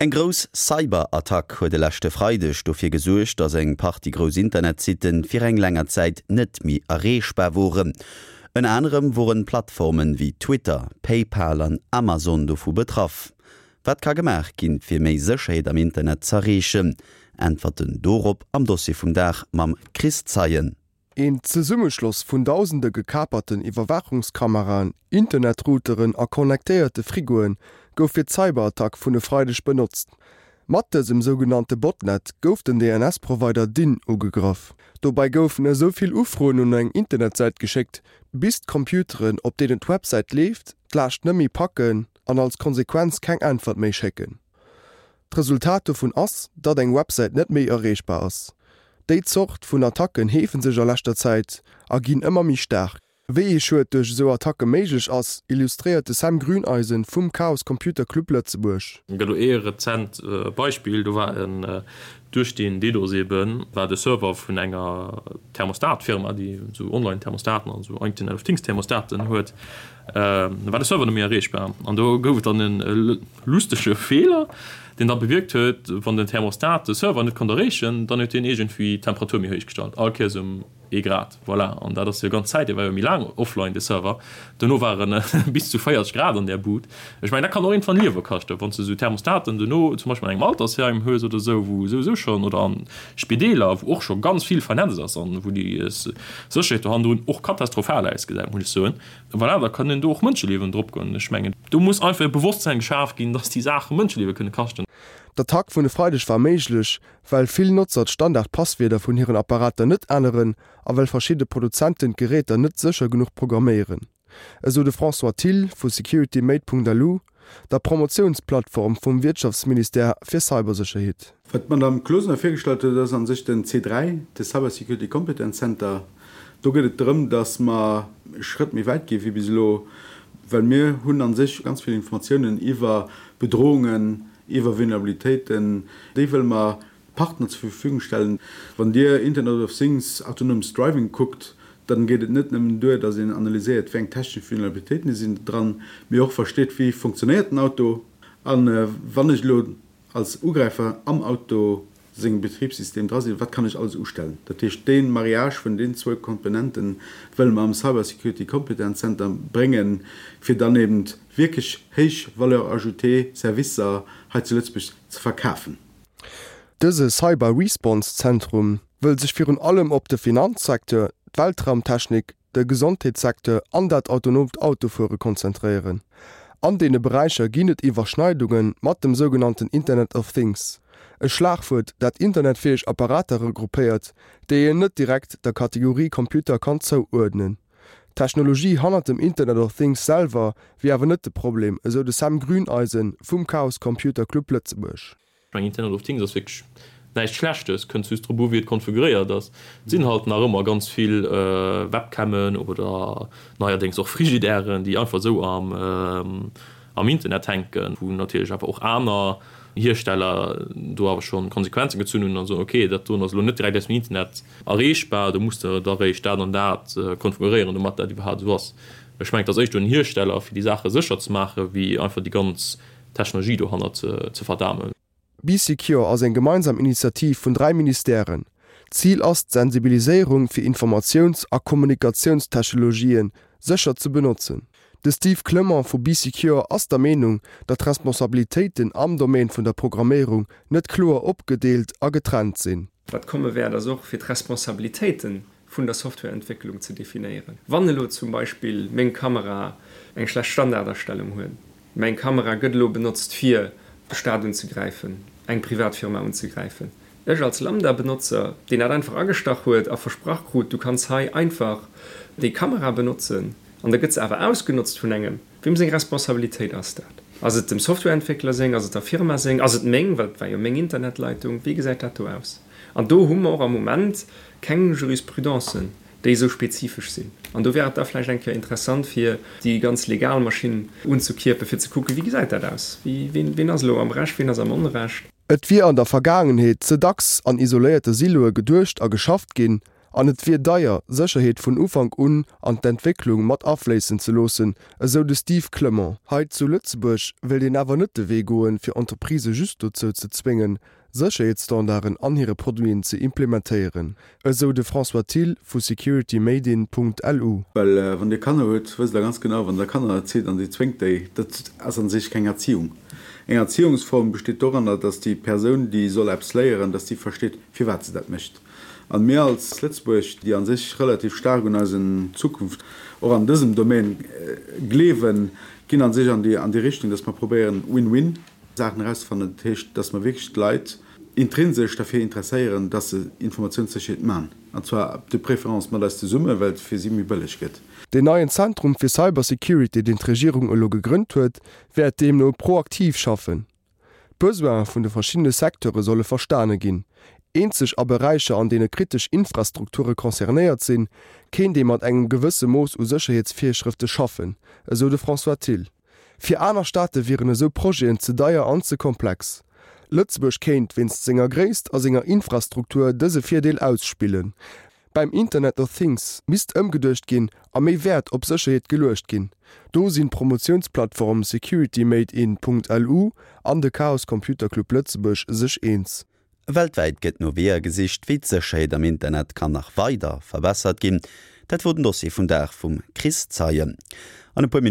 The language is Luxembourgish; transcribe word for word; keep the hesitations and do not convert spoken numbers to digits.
Eng grouss Cyberattack huet de leschte Freideg dofir gesuergt, datt eng Partie grouss Internetsitten fir eng länger Zäit net méi erreechbar woren. Ënner anerem woren Plattformen wéi Twitter, PayPal an Amazon dovu betraff. Wat ka gemaach ginn, fir méi Sécherheet am Internet z'erreechen? Äntwerten dorop am Dossier vum Dag mam Chris Zeien. Een Zesummeschloss vun dausende gekaperten Iwwerwaachungskameraen, Internetrouteren a connectéierte Frigoe gouf fir d'Cyberattack vun e Freideg benotzt. Mat dësem sougenannte Botnet gouf den D N S-Provider Dyn ugegraff. Dobäi goufen esou vill Ufroen un eng Internetsäit geschéckt, bis d'Computeren, op deenen d'Websäit leeft, d'Laascht net méi packen an als Konsequenz keng Äntwert méi schécken. D'Resultat dovun ass, datt eng Websäit net méi erreechbar ass. Déi Zort vun Attacken heefe sech a leschter Zäit a ginn ëmmer méi staark. Wéi ee Schued duerch esou Attacke méiglech ass, illustréiert de Sam Grüneisen vum Chaos Computer Club Lëtzebuerg. Gëtt do ee rezent Beispill, do war en duerch deen DDoS eben war de Server vun enger Thermostatfirma, déi esou Online-Thermostaten an esou Internet of Things Thermostaten huet, war de Server net méi erreechbar. An do gouf et dann e lustege Feeler, deen da bewierkt huet, wann den Thermostat de Server net konnt erreechen, dann huet deen iergendwéi d'Temperatur méi héich gestallt, all Kéiers ëm ee Grad. Voilà, an dat ass jo ganz Zäit, dee war jo méi laang offline, de Server, duerno waren bis zu véierzeg Grad an där Bud. Ech mengen, dat kann och iergendwann Liewe kaschten, wann s de esou Thermostaten duerno zum Beispill an engem Altersheim hues oder esou, wou souwisou schonn, oder an Spideeler, wou och scho ganz vill vernetzt ass an wou déi Sécherheet do hannendrun och katastrophal ausgesäit, muss ech soen. Voilà, da kënnen do och Mënscheliewen drop goen. Ech mengen, do muss einfach e Bewosstsein geschaf ginn, dass déi Saache Mënscheliewe kënne kaschten. D'Attack vun e Freideg war méiglech, well vill Notzer d'Standard-Passwierder vun hiren Apparater net änneren a well verschidde Produzenten d'Geräter net sécher genuch programméieren. Esou de François Thill vu Securitymate Punkt L U, der Promotiounsplattform vum Wirtschaftsministère fir Cybersécherheet. Wat d'Madame Closener virgestallt huet, ass a sech den C dräi, de Cyber Security Competence Center. Do geet et drëm, dass mer e Schrëtt méi wäit gi wéi bis elo, well mir hunn a sech ganz vill Informatiounen iwwer Bedrohungen, iwwer Vulnerabilitéiten, déi wëlle mer Partner zur Verfügung stellen. Wann Dir Internet of Things, autonomes Driving kuckt, dann geet et net nëmmen duer, dass een analyséiert, wéi eng technesch Vulnerabilitéiten sinn dran, mee och versteet, wéi funktionéiert den Auto an wann ech elo als Ugräifer am Auto sengem Betribssystem dra sinn, wat kann ech alles ustellen. Dat heescht, dee Mariage vun den zwou Komponenten wëlle mer am Cyber Security Competence Center bréngen, fir dann eben wierklech héich Valeur ajoutée Servicer hei zu Lëtzebuerg ze verkafen. Dëse Cyber Response Zentrum wëll sech virun allem op de Finanzsecteur, d'Weltraumtechnik, de Gesondheetssecteur an dat autonomt Autofuere konzentréieren. An deene Beräicher ginn et Iwwerschneidunge mat dem sougenannten Internet of Things. E Schlagwuert, dat internetfäeg Apparater regroupéiert, déi een net direkt der Kategorie Computer kann zouuerdnen. D'Technologie hannert dem Internet of Things selwer wier awer net de Problem, esou de Sam Grüneisen vum Chaos Computer Club Lëtzebuerg. Internet of Things ass wierklech näischt Schlechtes, kënnt just drop u wéi et konfiguréiert ass. Et sinn halt nach ëmmer ganz vill Webcammen oder neierdéngs och Frigidairen, déi einfach esou am am Internet hänken, wou natierlech awer och aner Hiersteller do awer schonn Konsequenzen gezunn hunn an soen, okay, dat doen ass elo net direkt aus dem Internet erreechbar, do muss de da réischt dat an dat konfiguréieren, domat dat iwwerhaapt esou ass. Ech mengen, et ass éischter un Hiersteller, fir déi Saache sécher ze maachen, wéi einfach déi ganz Technologie dohannert ze verdamen. Bee Secure ass eng gemeinsam Initiativ vun dräi Ministèren. Zil ass d'Sensibiliséierung fir Informatiouns a Kommunikatiounstechnologië sécher ze benotzen. De Steve Clement vu Bee Secure ass der Meenung, datt d'Responsabilitéiten am Domaine vun der Programméierung net kloer opgedeelt a getrennt sinn. Wat komme wäert, ass och fir d'Responsabilitéite vun der Softwareentwécklung ze definéieren. Wann elo zum Beispill meng Kamera eng schlecht Standardastellung huet, meng Kamera gëtt elo benotzt fir de Staat unzegräifen, eng Privatfirma unzegräifen, ech als Lambda-Benotzer, deen dat einfach agestach huet a versprach krut, du kanns hei einfach déi Kamera benotzen, an da gëtt se awer ausgenotzt vun engem, wiem seng Responsabilitéit ass dat? Ass et dem Softwareentwéckler seng, ass et der Firma seng, ass et meng, well et war jo meng Internetleitung, wéi gesäit dat do aus? An do hu mer och am Moment keng Jurisprudencen, déi esou spezifesch sinn. An do wär et da vläicht eng Kéier interessant, fir déi ganz legal Maschinn unzekierpen, fir ze kucken, wéi gesäit dat aus, wien, wien ass elo am Recht, wien ass am Onrecht. Et wier an der Vergaangenheet ze dacks an isoléierte Siloe geduecht a geschafft ginn An et wier deier, Sécherheet vun Ufank un an d'Entwécklung mat afléissen ze loossen, esou de Steve Clement. Hei zu Lëtzebuerg wéilt een awer net de Wee goen, fir Entreprisë just dozou ze zwéngen, Sécherheetsstandarden an hire Produiten ze implementéieren, esou de François Thill vu securitymadein.lu. Well wann Dir Kanner hutt, wësst Der ganz genau, wann Der Kanner erzitt an Dir zwéngt déi, dat ass a sech keng Erziehung. Eng Erziehungsform besteet doranner, dass déi Persoun, déi soll eppes léieren, dass déi versteet, firwat se dat mécht. A mir als Lëtzebuerg, déi a sech relativ staark un eisen Zukunft och an dësem Domaine gleewen, ginn a sech an déi an déi Richtung, dass mer probéieren, Win-win Saachen erauszefannen. Dat heescht, dass mer wierklech d'Leit intrinsesch derfir interesséieren, dass se Informatiounssécherheet man, an zwar de préférence mat eis zesummen, well et fir si méi bëlleg gëtt. Deen neien Zentrum fir Cybersecurity, deen d'Regierung elo gegrënnt huet, wäert deemno proaktiv schaffen. D'Besoine vun de verschiddene Secteure solle verstane ginn. Eenzeg a Beräicher, an deene kritesch Infrastrukture concernéiert sinn, kéint ee mat engem gewësse Mooss u Sécherheetsvirschrëfte schaffen, esou de François Thill. Fir aner Staate wieren esou Projeten ze deier an ze komplex. Lëtzebuerg kéint wéinst senger Gréisst a senger Infrastruktur dëse Virdeel ausspillen. Beim Internet of Things misst ëmgeduecht ginn a méi Wäert op Sécherheet geluecht ginn. Do sinn d'Promotiounsplattform securitymadein.lu an de Chaos Computer Club Lëtzebuerg sech eens. Weltwäit gëtt no Weeër gesicht, wéi d'Sécherheet am Internet kann nach weider verbessert ginn. Dat wor den Dossier vum Dag vum Chris Zeien. An e puer.